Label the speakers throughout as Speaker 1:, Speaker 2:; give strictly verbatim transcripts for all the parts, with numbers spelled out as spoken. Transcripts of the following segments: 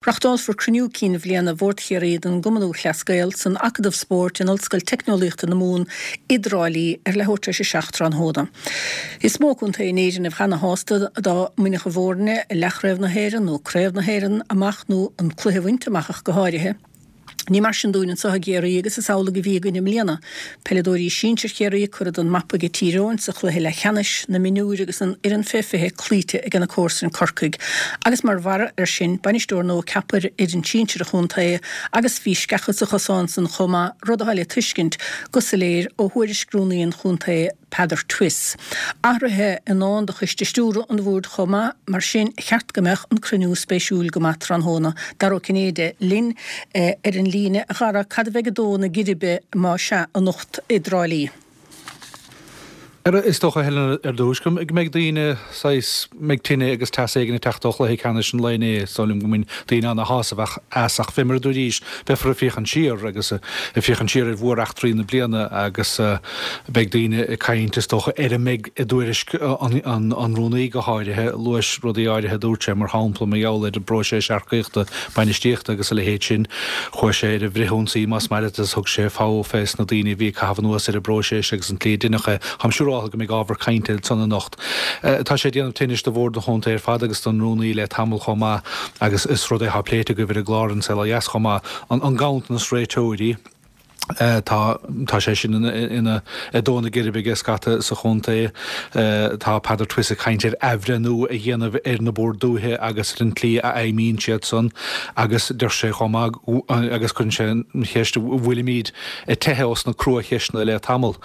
Speaker 1: Reáchtálfar cruinniú cinn bhliana Bhord Chiarraí den gCumann Lúthchleas Gael san Acadamh Spóirt in Ollscoil Teicneolaíochta na Mumhan i dTrá Lí ar leathuair tar éis a seacht tráthnóna. Is mó contae in Éirinn a bheadh ana-shásta dá mbainfeadh a bhfoirne leathchraobh na hÉireann nó craobh na hÉireann amach nó an cluiche a bhaint amach ach go háirithe. Ní mar sin dúinn anseo i gCiarraí agus is amhlaidh a bhí againn i mbliana. Peileadóirí sinsir Chiarraí curtha den mapa ag Tír Eoghain sa chluiche leathcheannais, na mionúir agus an fhoireann fé fiche cloíte ag na comharsain Corcaigh. Agus mar bharra air sin, bainisteoir nua ceaptha ar fhoireann sinsir an chontae agus bhí sceacha sa chosán san chomh maith, rud atá le tuiscint go soiléir ó thuairisc rúnaí an chontae, Peadar Twiss. Athruithe i ndán do choiste stiúrtha an bhoird chomh maith, mar sin cheart go mbeadh an cruinniú spéisiúil go maith tráthnóna. Dara Ó Cinnéide linn ar an líne. A Dhara, cad a bheidh ag dó na geirbe má sea anocht i dTrá Lí?
Speaker 2: Is dócha, Helen, ar dtús, go mbeidh daoine saghas, mbeidh tine agus teas éigin ag teacht ó chluiche ceannais an lae inné. Is dóigh liom go mbain daoine ana-shásamh as ach fé mar a dúraís, beifear ag féachaint siar agus ag féachaint siar ar mhór-eachtraí na bliana agus beidh daoine ag caint, is dócha, ar a mbeidh i dtuairisc an rúnaí go háirithe. Luais rudaí áirithe a dúirt sé, mar shampla, mar gheall ar an bpróiseas earcaíochta, bainistíochta agus a leithéid sin. Chuaigh sé ar an bhfrithionsaí, más maith leat, agus thug sé fogha fés na daoine a bhí ag caitheamh anuas ar an bpróiseas agus an tslí a deineadh é. Táim siúráltha go mbeidh ábhar cainte ansan anocht. Tá sé ag déanamh tinnis do Bhord an Chontae ar fad agus don Rúnaí le tamall chomh maith agus is rud é atá pléite agaibh ar an gclár An Saol Ó Dheas chomh maith, an ganntanas réiteoirí. Tá tá sé sin ina ag dó na geirbe aige scata sa chontae. Tá Peadar Twiss ag caint ar athbhreithniú a dhéanamh ar na Boird Dúiche agus ar an tslí a fheidhmíonn siad san agus deir sé chomh maith agus cuireann sé an cheist an bhfuilimid ag teitheadh ós na crua-cheisteanna le tamall.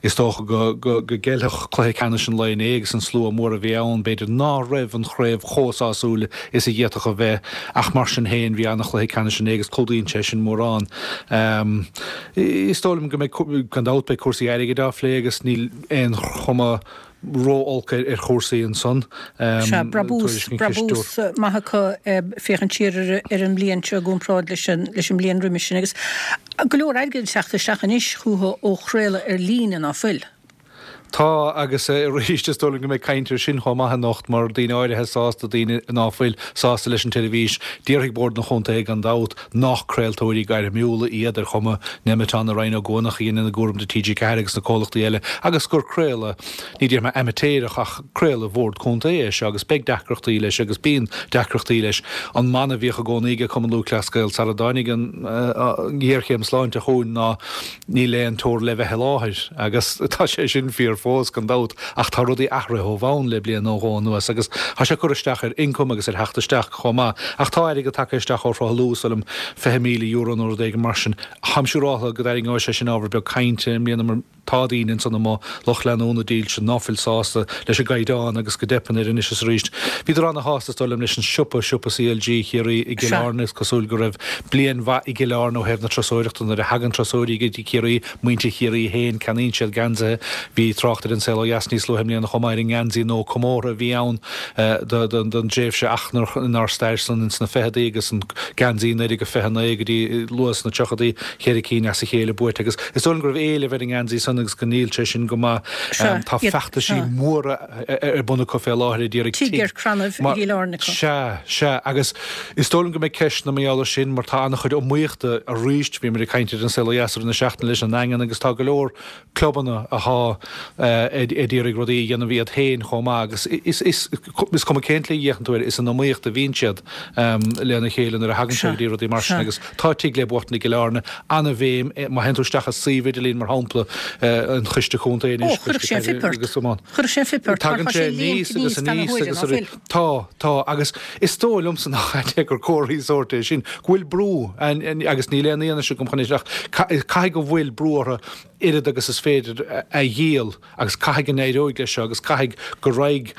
Speaker 2: Is dócha go gceilfeadh cluiche ceannais an lae inné agus an slua mór a bhí ann, b'fhéidir ná raibh an chraobh chomh sásúil is a d'fhéadfadh a bheith ach mar sin féin bhí an-chluiche ceannais inné agus clúdaíonn sé sin mórán. Is dóigh liom go mbeidh, gan dabht, beidh cúrsaí airgid á phlé agus níl aon chuma ró-olc ar chúrsaí ansan.
Speaker 1: Sea, brabús, brabús maith acu féachaint siar ar an mbliain seo i gcomparáid leis an leis an mbliain roimis sin agus go leor airgid ag teacht isteach anois chucu ó chraoladh ar líne, ná fuil?
Speaker 2: Tá, agus arís is dóigh liom go mbeidh caint air sin chomh maith anocht mar daoine áirithe sásta, daoine ná fuil sásta leis an tseirbhís. Déarfaidh Bord an Chontae gan dabht nach craoltóirí gairmiúla iad ar chuma Nemeton nó Ryan Ó Guanach a dhéanann a gcúram do T G ceathair agus na comhlachtaí eile agus gur craoladh Ní déarfaidh mé amaitéarach ach craoladh Bhord Contae é seo agus beidh deacrachtaí leis agus bíonn deacrachtaí leis. An mana a bhíodh i gcónaí ag Cumann Lúthchleas Gael sara dtáinig an ghéarchéim sláinte chugainn ná níl aon teora le bheith i láthair agus tá sé sin fíor fós gan dabht ach tá rudaí athraithe ó bhonn le bliain nó dhó anuas agus tá sé ag cur isteach ar ioncam agus ar theacht isteach chomh maith. Ach tá airgead tagtha isteach ó shruthlú, is dóigh liom fiche míle euro nó rud éigin mar sin. Táim siúráltha go dtarraingeoidh sé sin ábhar beag cainte i mbliana mar Tá daoine ansan amuigh, lucht leanúna dílse, ná fuil sásta leis an gcaighdeán agus go dteipeann air anois is arís. Bhíodar ana-shásta, is dóigh liom, leis an siopa, siopa C L G Chiarraí i gCill Airne. Is cosúil go raibh bliain mhaith i gCill Airne ó thaobh na turasóireachta. Nuair a thagann turasóirí go dtí Ciarraí, muintir Chiarraí féin, ceannaíonn siad geansaithe. Bhí trácht ar An Saol Ó Dheas níos luaithe i mbliana chomh maith ar an ngeansaí nua comórtha a bhí ann don dtréimhse inár stair san ins na ficheadaí agus an geansaí naoi déag fiche naoi go dtí luath sna tríochadaí. Cheithre cinn as a chéile buaite agus is dóigh liom go raibh éileamh ar an ngeansaí san agus go ndíol sé sin go maith.
Speaker 1: Sea,
Speaker 2: Tá
Speaker 1: iad,
Speaker 2: feachtaisí
Speaker 1: sea.
Speaker 2: móra ar bun acu fé láthair ag iarraidh
Speaker 1: Tigh
Speaker 2: tigh
Speaker 1: ar crannaibh i
Speaker 2: mar,
Speaker 1: gCill Airne acu.
Speaker 2: Sea, sea, agus is dóigh liom go mbeidh ceisteanna mar gheall air sin mar tá an-chuid iomaíochta arís, bhíomar ag caint ar An Saol Ó Dheas i rith na seachtaine leis an nDaingean agus tá go leor clubanna athá ag iarraidh rudaí a dhéanamh iad féin chomh maith agus is, is, is cuma cén tslí a bhféachann tú air, is in iomaíocht a bhíonn siad lena chéile nuair a thagann sé
Speaker 1: Sea,
Speaker 2: go dtí rudaí mar sin
Speaker 1: sea.
Speaker 2: agus tá tigh le buachtaint i gCill Airne, an-bhéim, má théann tú isteach i suíomh idirlín mar shampla an Choiste Contae
Speaker 1: Ó,
Speaker 2: anois,
Speaker 1: chuirfeadh
Speaker 2: Coiste
Speaker 1: sé an
Speaker 2: Peile
Speaker 1: phip ort.
Speaker 2: agus iomána.
Speaker 1: Chuirfeadh sé an phip ort mar
Speaker 2: Tagann
Speaker 1: tá
Speaker 2: sé
Speaker 1: sé
Speaker 2: aníos
Speaker 1: líonta
Speaker 2: agus
Speaker 1: aníos gan
Speaker 2: aníos
Speaker 1: huaire,
Speaker 2: agus
Speaker 1: ná
Speaker 2: arís.
Speaker 1: fuil?
Speaker 2: Tá, tá, agus is dóigh liomsa nach ait é gur comharthaí sóirt é sin, go bhfuil brú, agus níl aon fhianaise agam chun é sin, ach caithfidh go bhfuil brú orthu oiread agus is féidir a dhíol agus caithfidh go n-éireoidh leis seo agus caithfidh go raghaidh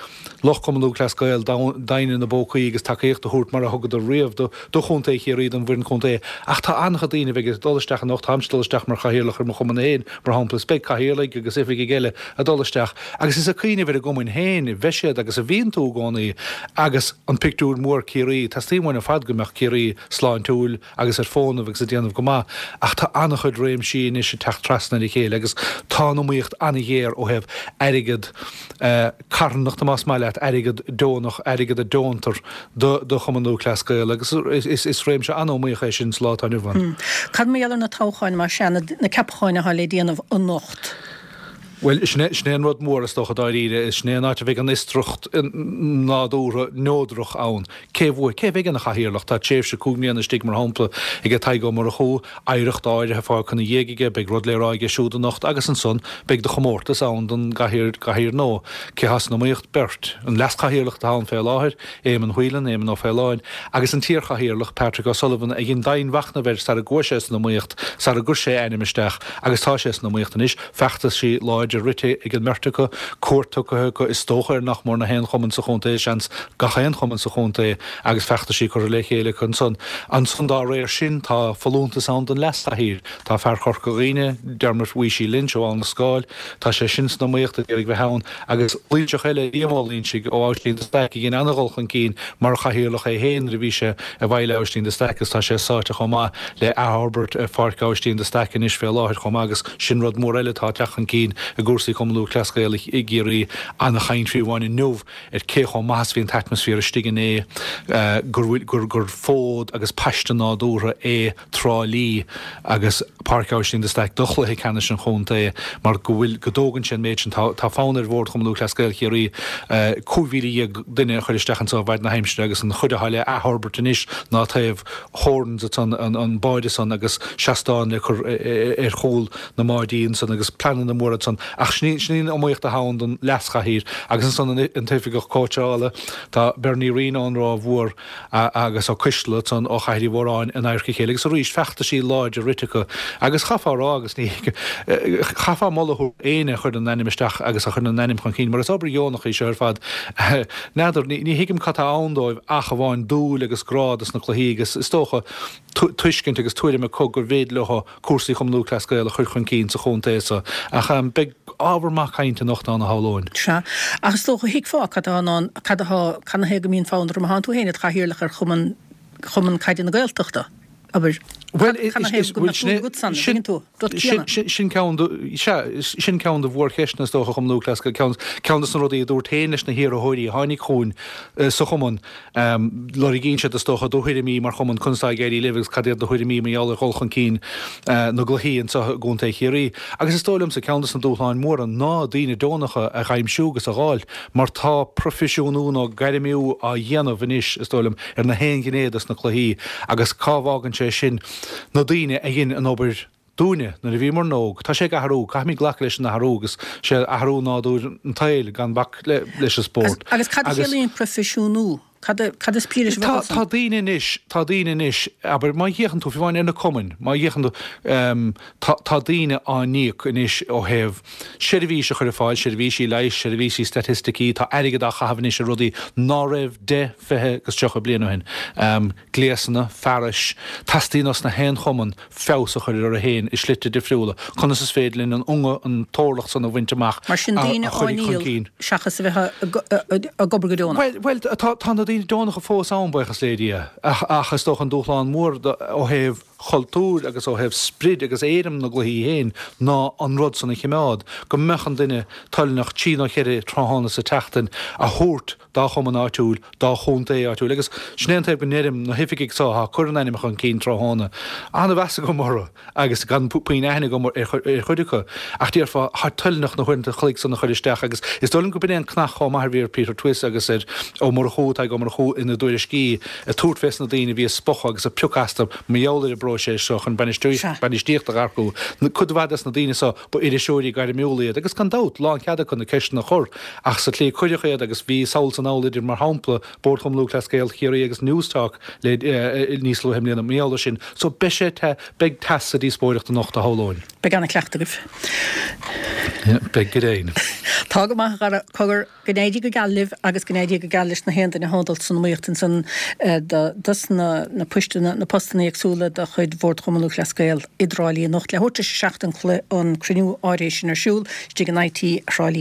Speaker 2: lucht Chumann Lúthchleas Gael doimhne ina bpócaí agus tacaíocht a thabhairt mar a thugadar riamh do do chontae Chiarraí, don bhfoireann contae. Ach tá an-chuid daoine a bheidh ag dul isteach anocht, táimse ag dul isteach mar chathaoirleach ar mo chumann féin, mar shampla, is beidh beidh cathaoirligh agus oifigigh eile ag dul isteach agus is ag cuimhneamh ar a gcumainn féin a bheidh siad agus a bhíonn tú i gcónaí agus an pictiúr mór Ciarraí, teastaíonn uainn ar fad go mbeadh Ciarraí sláintiúil agus ar fónamh agus ag déanamh go maith ach tá an-chuid réimsí anois ag teacht trasna ar a chéile agus tá an iomaíocht an-ghéar ó thaobh airgead carthanachta más maith leat, airgead deonach, airgead a deontar do do Chumann Lúthchleas Gael agus is is réimse an-iomaíoch é sin sa lá atá inniu ann.
Speaker 1: Cad mar gheall ar na toghcháin mar sea, na ceapacháin atá le déanamh anocht?
Speaker 2: Bhuel, sin é, sin é an rud mór is dócha dáiríre, sin é an áit a bheidh an fhiosracht nádúrtha neodrach ann. Cé bhuafaidh? Cé a bheidh ina chathaoirleach? Tá tréimhse cúig mbliana istigh, mar shampla, ag Tadhg Ó Murchú, oidhreacht áirithe fágtha ina dhiaidh aige, beidh rud le rá aige siúd anocht agus ansan beidh do chomórtas ann don gcathaoir, gcathaoir nua. Cé atá san iomaíocht? Beirt. An leaschathaoirleach atá ann fé láthair, Éamonn Whelan, Éamonn Ó Faoláin, agus an t-iarchathaoirleach, Patrick O'Sullivan, a dhein dianmhachnamh air sara gcuaigh sé san iomaíocht, sara gcuir sé a ainm isteach agus tá sé san iomaíocht anois. Feachtaisí láidre rite ag an mbeirt acu, cuairt tugtha acu is dócha ar nach mór na haon chumann sa chontae, seans gach aon chumann sa chontae agus feachtaisí curtha le chéile acu ansan. Ansan dá réir sin tá folúntas ann don leaschathaoir. Tá fear Chorca Dhuibhne, Dermot Weeshie Lynch ó Abhainn na Scáil, tá sé sin san iomaíocht ag iarraidh bheith ann agus Loinseach eile, Liam Ó Loinsigh ó Abhaistín de Staic a dhein an-dhul chun cinn mar chathaoirleach é féin nuair a bhí sé i bhfeighil Abhaistín de Staic agus tá sé sáite chomh maith le athfhorbairt Pháirc Abhaistín de Staic anois fé láthair chomh maith agus sin rud mór eile atá ag teacht chun cinn i gcúrsaí Chumann Lúthchleas Gael i gCiarraí. Ana-chaint fiú amháin inniu ar cé chomh maith is a bhí an t-atmaisféar istigh inné, gur bhfuil, gur, gur fód agus paiste nádúrtha é Trá Lí agus Páirc Abhaistín de Staic do chluiche ceannais an chontae mar go bhfuil, go dtógann sé an méid sin. Tá, tá fonn ar Bhord Chumann Lúthchleas Gael Chiarraí cúig mhíle dhéag duine a chur isteach anso i bhfaid na haimsire agus an chuid atá le athfhorbairt anois ná taobh Horan's ansan, an, an báide san agus seastán le cur ar chúl na mbáidí ansan agus pleananna móra ansan ach sin í, sin í an iomaíocht atá ann don leaschathaoir agus ansan an, an t-oifigeach cóitseála, tá Bernie Reen ón Ráth Mhór agus Ó Coistealbha ansan ó Chathair Uí Mhóráin in adharca a chéile agus arís feachtaisí láidre rite acu agus chaithfeá a rá agus ní chaithfeá moladh a thabhairt d'éinne a chuireann a n-ainm isteach agus a chuireann a n-ainm chun cinn mar is obair dheonach í seo ar fad. N'fheadar, ní, ní thuigim cad tá ann dóibh ach amháin dúil agus grá dos na cluichí agus is dócha tuiscint agus tuairim acu gur bhféidir leo cúrsaí Chumann Lúthchleas Gael a chur chun cinn sa chontae so. Ach beidh ábhar maith cainte anocht ann a shamhlóinn.
Speaker 1: Sea. Ach is dócha, thuigfeá cad atá in ann, cad atá, cad 'na thaobh go mbíonn fonn orthu má thánn tú féin id chathaoirleach ar Chumann, Chumann Caide na Gaeltachta, abair.
Speaker 2: Bhuel,
Speaker 1: Cad 'na thaobh go mbeadh dúil agat san, an dtuigeann tú? Rud céanna.
Speaker 2: Sin, sin ceann de, sea, sin ceann de mhórcheisteanna is dócha Chumann Lúthchleas Gael, ceann, ceann de na rudaí a dúrt féin leis na hiarrthóirí a tháinig chugainn sa chumann, Lorgaíonn siad, is dócha, do thuairimí mar chumann, conas atá ag éirí libh agus cad iad do thuairimí mar gheall ar dhul chun cinn na gcluichí anseo i gContae Chiarraí. Agus is dóigh liomsa, ceann de na dúshláin mhóra ná daoine deonacha a dh'aimsiú agus a dh'fháil mar tá proifisiúnú nó gairmiú á dhéanamh anois, is dóigh liom, ar na haon ghné de na cluichí agus cá bhfágann sé sin na daoine a dhein an obair dúinne nuair a bhíomar óg. Tá sé ag athrú, caithfimid glacadh leis an athrú agus sé athrú nádúr an tsaoil gan bac leis an spórt.
Speaker 1: Agus cad a chiallaíonn proifisiúnú? Cad cad is brí leis an
Speaker 2: Tá
Speaker 1: bhfocal san?
Speaker 2: tá daoine anois, tá daoine anois, abair, má fhéachann tú, fiú amháin ar na cumainn, má fhéachann tú, tá tá daoine á n-íoc anois ó thaobh seirbhís a chur ar fáil, seirbhísí leighis, seirbhísí staitisticí, tá airgead á chaitheamh anois ar rudaí ná raibh deich, fiche agus tríocha bliain ó shin. Gléasanna, fearais, teastaíonn os na haon chumann feabhas a chur orthu féin i slite difriúla. Conas is féidir linn an unga, an t-orlach san a bhaint amach
Speaker 1: Mar sin
Speaker 2: a
Speaker 1: daoine á
Speaker 2: chuirfidh chun
Speaker 1: ndíol
Speaker 2: cinn.
Speaker 1: seachas a bheith ag obair go deonach.
Speaker 2: Bhuel, bhuel, tá, tá na daoine deonacha fós ann, buíochas le Dia, ach, ach is dócha an dúshlán mór ó thaobh chultúir agus ó thaobh sprid agus éirim na gcluichí féin ná an rud san a chimeád, go mbeadh an duine toilneach trí nó cheithre tráthnóna sa tseachtain a thabhairt dá chumann áitiúil, dá chontae áitiúil. Agus sin é an taobh go ndeirim, na hoifigigh so atá ag cur a n-ainm chun cinn tráthnóna, an-mheas agam orthu agus gan puinn aithne agam ar chuid acu, ach déarfá, táid toilneach na huaireanta an chloig san a chur isteach agus is dóigh liom go b'in é an cnach chomh maith a bhí ar Peter Twiss agus ar Ó Murchú, Tadhg Ó Murchú, ina dtuairiscí, ag tabhairt fés na daoine a bhí ag spochadh agus ag piocadh astu mar gheall ar an bpróiseas seo chun bainistíocht a dh'earcú. Cuid mhaith des na daoine so, ba iriseoirí gairmiúla iad agus gan dabht, lánchead acu na ceisteanna a chur. Ach sa tslí a cuireadh iad agus bhí sall is anall idir, mar shampla, Bord Chumann Lúthchleas Gael Chiarraí agus Newstalk le níos luaithe i mbliana, mar gheall air sin. So beidh sé te, beidh teas sa díospóireacht anocht, a shamhlóinn.
Speaker 1: Beidh an-chleachtadh agaibh.
Speaker 2: Beidh go deimhin.
Speaker 1: Tá go maith a Dhara, cogar go n-éirí go geal libh agus go n-éirí go geal leis na haon duine atá ag dul san iomaíocht ansan dos na na poisteanna na postanna éagsúla de chuid Bhord Chumann Lúthchleas Gael i dTrá Lí anocht leathuair tar éis a seacht an an cruinniú áirithe sin ar siúl istigh in IT Thrá Lí.